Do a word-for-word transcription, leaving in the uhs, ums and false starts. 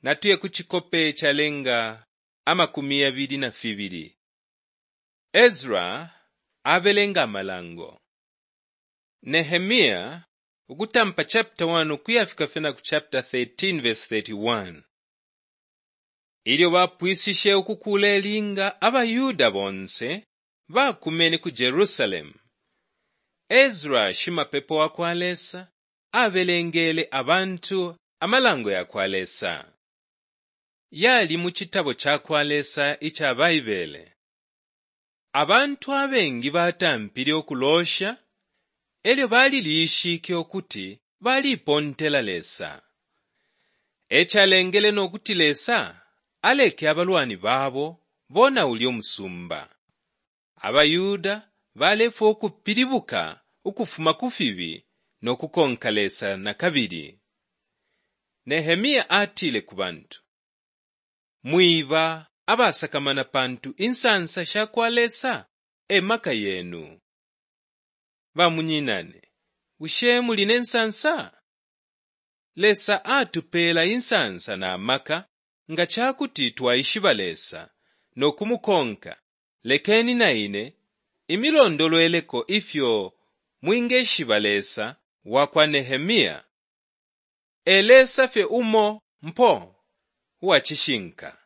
Natuye ku cikope calenga amakumi yabili na fibili. Ezra abelenga amalango. Nehemia ukutampa chapter one ukuyafika fye na ku chapter thirteen verse thirty-one. Ilyo bapwishishe ukukuula ilinga, abaYuda bonse bakumene ku Jerusalemu. Ezra shimapepo wa kwa Lesa abelengele abantu amalango ya kwa Lesa. Yali mu citabo ca kwa Lesa ica Baibele. Abantu abengi batampile ukuloosha elyo balilishike ukuti balipontela Lesa. E calengele no kuti Lesa aleke abalwani babo bonaule umusumba. AbaYuda balefwaya ukupilibuka ukufuma ku fibi no kukonka Lesa na kabili. Nehemia atile ku bantu, “Mwiba abasakamana pantu insansa sha kwa Lesa e maka yenu.” Bamunyinane, bushe muli ne nsansa? Lesa atupeela insansa na maka nga ca kuti twaishiba Lesa no kumukonka. Lekeni na ine imilondolweleko ifyo mwingeshiba Lesa wa kwa Nehemia. E Lesa fye umo mpo uwa cishinka.